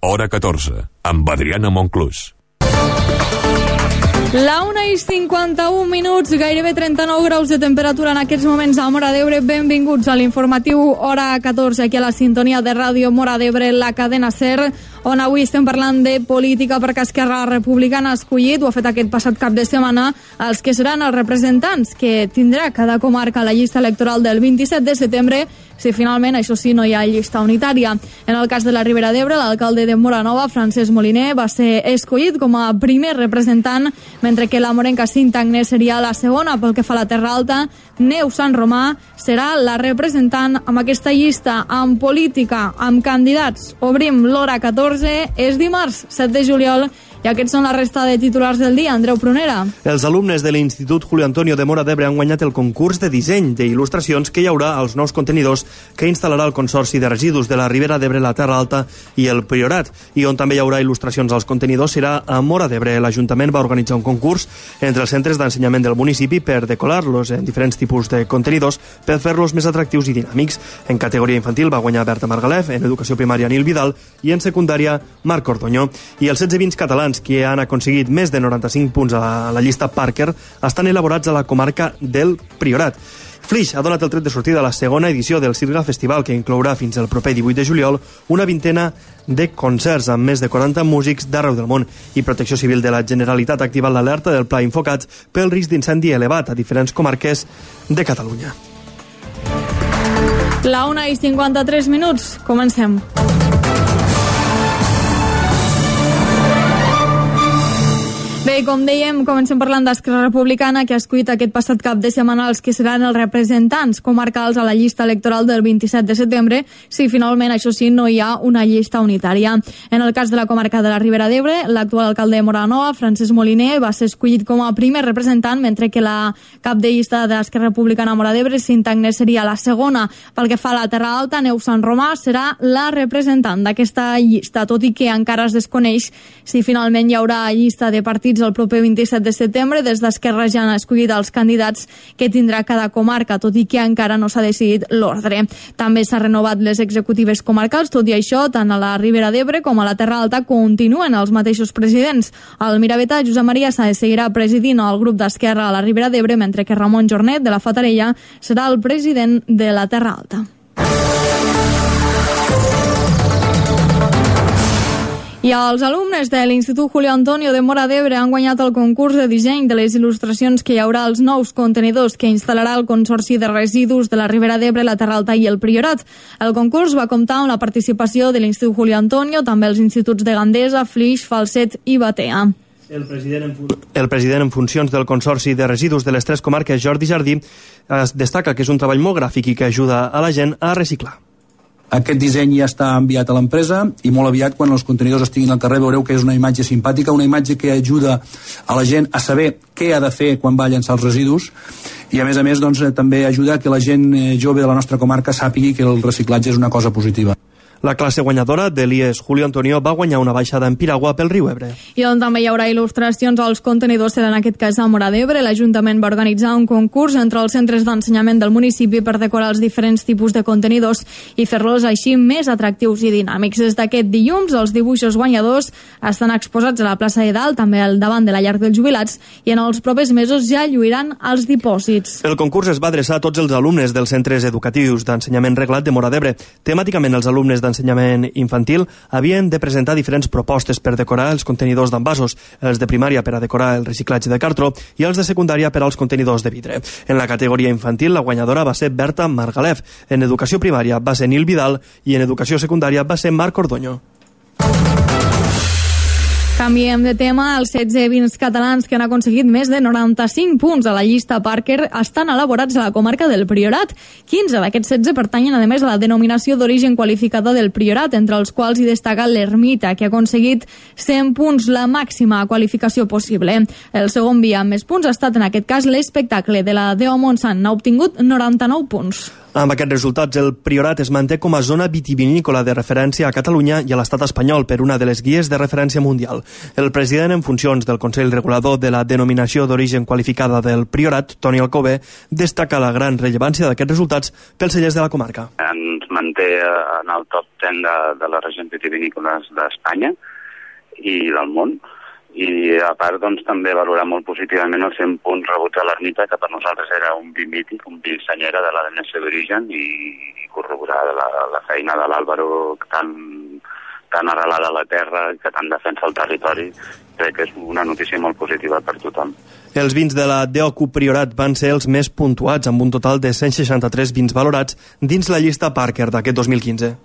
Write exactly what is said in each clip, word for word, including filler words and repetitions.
Hora catorze, amb Adriana Monclús. La una i cinquanta-un minuts, gairebé trenta-nou graus de temperatura en aquests moments a Móra d'Ebre. Benvinguts a l'informatiu Hora catorze, aquí a la sintonia de ràdio Móra d'Ebre, la cadena SER, on avui estem parlant de política perquè Esquerra Republicana ha escollit, ho ha fet aquest passat cap de setmana, els que seran els representants que tindrà cada comarca a la llista electoral del vint-i-set de setembre, si finalment, això sí, no hi ha llista unitària. En el cas de la Ribera d'Ebre, l'alcalde de Móra Nova, Francesc Moliner, va ser escollit com a primer representant, mentre que la morenca Cinta Agnès seria la segona. Pel que fa a la Terra Alta, Neus Sant Romà serà la representant amb aquesta llista. En política, amb candidats, obrim l'Hora catorze, és dimarts, set de juliol, i aquests són la resta de titulars del dia. Andreu Prunera. Els alumnes de l'Institut Julio Antonio de Móra d'Ebre han guanyat el concurs de disseny d'il·lustracions que hi haurà als nous contenidors que instal·larà el Consorci de Residus de la Ribera d'Ebre, la Terra Alta i el Priorat. I on també hi haurà il·lustracions als contenidors serà a Móra d'Ebre. L'Ajuntament va organitzar un concurs entre els centres d'ensenyament del municipi per decorar-los en diferents tipus de contenidors per fer-los més atractius i dinàmics. En categoria infantil va guanyar Berta Margalef, en educació primària Nil Vidal i en secundària Marc Ordoño. I els setze vins catalans que han aconseguit més de noranta-cinc punts a la, a la llista Parker estan elaborats a la comarca del Priorat. Flix ha donat el tret de sortida a la segona edició del Sirga Festival, que inclourà fins al proper divuit de juliol una vintena de concerts amb més de quaranta músics d'arreu del món. I Protecció Civil de la Generalitat ha activat l'alerta del Pla Infocats pel risc d'incendi elevat a diferents comarques de Catalunya. La una i cinquanta-tres minuts, comencem. Bé, com dèiem, comencem parlant d'Esquerra Republicana, que ha escollit aquest passat cap de setmana els que seran els representants comarcals a la llista electoral del vint-i-set de setembre, si finalment, això sí, no hi ha una llista unitària. En el cas de la comarca de la Ribera d'Ebre, l'actual alcalde de Móra Nova, Francesc Moliner, va ser escollit com a primer representant, mentre que la cap de llista d'Esquerra Republicana a Móra d'Ebre, Cinta Agnès, seria la segona. Pel que fa a la Terra Alta, Neus Sant Romà serà la representant d'aquesta llista, tot i que encara es desconeix si finalment hi haurà llista de partits el proper vint-i-set de setembre. Des d'Esquerra ja han escollit els candidats que tindrà cada comarca, tot i que encara no s'ha decidit l'ordre. També s'ha renovat les executives comarcals, tot i això, tant a la Ribera d'Ebre com a la Terra Alta continuen els mateixos presidents. El Miravetà, Josep Maria Sáez, seguirà presidint el grup d'Esquerra a la Ribera d'Ebre, mentre que Ramon Jornet, de la Fatarella, serà el president de la Terra Alta. I els alumnes de l'Institut Julio Antonio de Móra d'Ebre han guanyat el concurs de disseny de les il·lustracions que hi haurà als nous contenidors que instal·larà el Consorci de Residus de la Ribera d'Ebre, la Terra Alta i el Priorat. El concurs va comptar amb la participació de l'Institut Julio Antonio, també els instituts de Gandesa, Flix, Falset i Batea. El president, en fun... el president en funcions del Consorci de Residus de les tres comarques, Jordi Jardí, es destaca que és un treball molt gràfic i que ajuda a la gent a reciclar. Aquest disseny ja està enviat a l'empresa i molt aviat, quan els contenidors estiguin al carrer, veureu que és una imatge simpàtica, una imatge que ajuda a la gent a saber què ha de fer quan va a llançar els residus i, a més a més, doncs, també ajuda que la gent jove de la nostra comarca sàpigui que el reciclatge és una cosa positiva. La classe guanyadora de l'I E S Julio Antonio va guanyar una baixada en piragua pel riu Ebre. I on també hi haurà il·lustracions als contenidors serà en aquest cas a Móra d'Ebre. L'Ajuntament va organitzar un concurs entre els centres d'ensenyament del municipi per decorar els diferents tipus de contenidors i fer-los així més atractius i dinàmics. Des d'aquest dilluns, els dibuixos guanyadors estan exposats a la plaça de Dalt, també al davant de la llar dels jubilats, i en els propers mesos ja lluiran els dipòsits. El concurs es va adreçar a tots els alumnes dels centres educatius d'ensenyament reglat de Móra d'Ebre. Temàticament, els alumnes d'ensenyament infantil havien de presentar diferents propostes per decorar els contenidors d'envasos, els de primària per a decorar el reciclatge de cartró i els de secundària per als contenidors de vidre. En la categoria infantil, la guanyadora va ser Berta Margalef, en educació primària va ser Nil Vidal i en educació secundària va ser Marc Ordoño. Canviem de tema. Els setze vins catalans que han aconseguit més de noranta-cinc punts a la llista Parker estan elaborats a la comarca del Priorat. quinze d'aquests setze pertanyen, a més, a la denominació d'origen qualificada del Priorat, entre els quals hi destaca l'Ermita, que ha aconseguit cent punts, la màxima qualificació possible. El segon vi amb més punts ha estat, en aquest cas, l'Espectacle de la Déu Montsant. Ha obtingut noranta-nou punts. Amb aquests resultats, el Priorat es manté com a zona vitivinícola de referència a Catalunya i a l'estat espanyol per una de les guies de referència mundial. El president en funcions del Consell Regulador de la denominació d'origen qualificada del Priorat, Toni Alcover, destaca la gran rellevància d'aquests resultats pels cellers de la comarca. Ens manté en el top deu de, de les regions vitivinícoles d'Espanya i del món. I a part doncs, també valorar molt positivament els cent punts rebuts a l'ermita, que per nosaltres era un vi mític, un vi senyera de la denominació d'origen, i, i corroborar la, la feina de l'Àlvaro tan, tan arrelada a la terra, que tant defensa el territori. Crec que és una notícia molt positiva per tothom. Els vins de la D O C U Priorat van ser els més puntuats, amb un total de cent seixanta-tres vins valorats dins la llista Parker d'aquest dos mil quinze.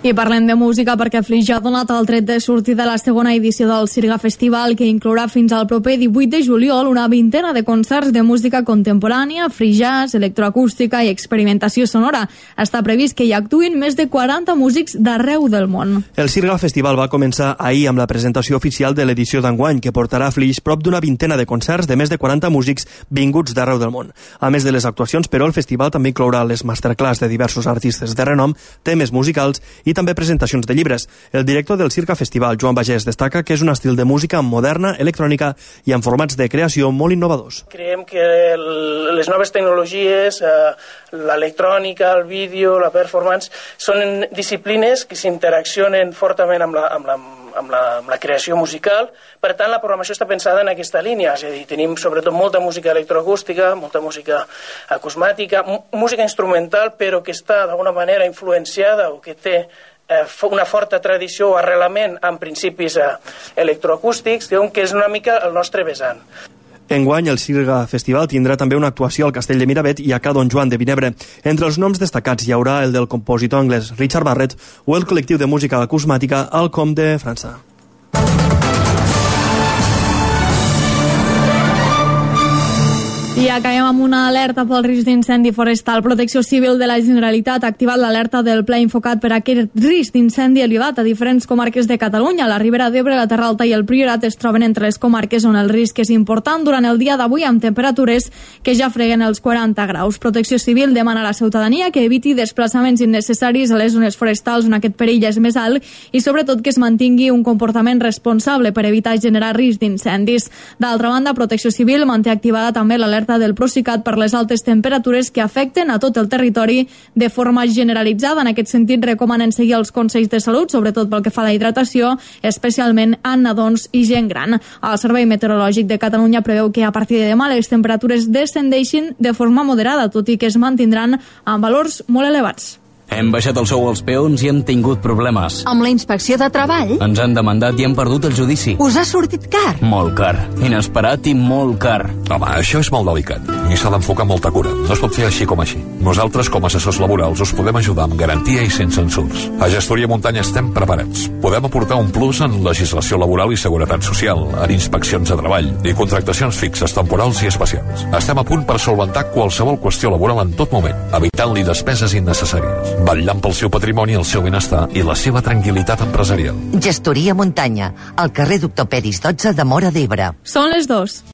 I parlem de música perquè Flix ja ha donat el tret de sortir de la segona edició del Sirga Festival, que inclourà fins al proper divuit de juliol una vintena de concerts de música contemporània, free jazz, electroacústica i experimentació sonora. Està previst que hi actuïn més de quaranta músics d'arreu del món. El Sirga Festival va començar ahir amb la presentació oficial de l'edició d'enguany, que portarà a Flix prop d'una vintena de concerts de més de quaranta músics vinguts d'arreu del món. A més de les actuacions, però, el festival també inclourà les masterclass de diversos artistes de renom, temes musicals i també presentacions de llibres. El director del Sirga Festival, Joan Bagés, destaca que és un estil de música moderna, electrònica i amb formats de creació molt innovadors. Creiem que el, les noves tecnologies, eh, l'electrònica, el vídeo, la performance, són disciplines que s'interaccionen fortament amb la, amb la amb la, amb la creació musical. Per tant, la programació està pensada en aquesta línia, és a dir, tenim sobretot molta música electroacústica, molta música acusmàtica, música instrumental, però que està d'alguna manera influenciada o que té eh, una forta tradició o arrelament amb principis eh, electroacústics, que és una mica el nostre vessant. Enguany, el Sirga Festival tindrà també una actuació al Castell de Miravet i a Ca Don Joan de Vinebre. Entre els noms destacats hi haurà el del compositor anglès Richard Barrett o el col·lectiu de música acusmàtica Alcom de França. I acabem amb una alerta pel risc d'incendi forestal. Protecció Civil de la Generalitat ha activat l'alerta del Pla Infocat per a aquest risc d'incendi elevat a diferents comarques de Catalunya. La Ribera d'Ebre, la Terra Alta i el Priorat es troben entre les comarques on el risc és important durant el dia d'avui, amb temperatures que ja freguen els quaranta graus. Protecció Civil demana a la ciutadania que eviti desplaçaments innecessaris a les zones forestals on aquest perill és més alt i sobretot que es mantingui un comportament responsable per evitar generar risc d'incendis. D'altra banda, Protecció Civil manté activada també l'alerta del Procicat per les altes temperatures que afecten a tot el territori de forma generalitzada. En aquest sentit, recomanen seguir els consells de salut, sobretot pel que fa a la hidratació, especialment en nadons i gent gran. El Servei Meteorològic de Catalunya preveu que a partir de demà les temperatures descendeixin de forma moderada, tot i que es mantindran amb valors molt elevats. Hem baixat el sou als peons i hem tingut problemes. Amb la inspecció de treball? Ens han demandat i hem perdut el judici. Us ha sortit car? Molt car. Inesperat i molt car. Home, això és molt delicat i s'ha d'enfocar molta cura. No es pot fer així com així. Nosaltres, com a assessors laborals, us podem ajudar amb garantia i sense ensurs. A Gestoria Muntanya estem preparats. Podem aportar un plus en legislació laboral i seguretat social, en inspeccions de treball i contractacions fixes, temporals i especials. Estem a punt per solventar qualsevol qüestió laboral en tot moment, evitant-li despeses innecessàries, vetllant pel seu patrimoni, el seu benestar i la seva tranquil·litat empresarial. Gestoria Muntanya, al carrer Doctor Peris dotze de Móra d'Ebre. Són les dos.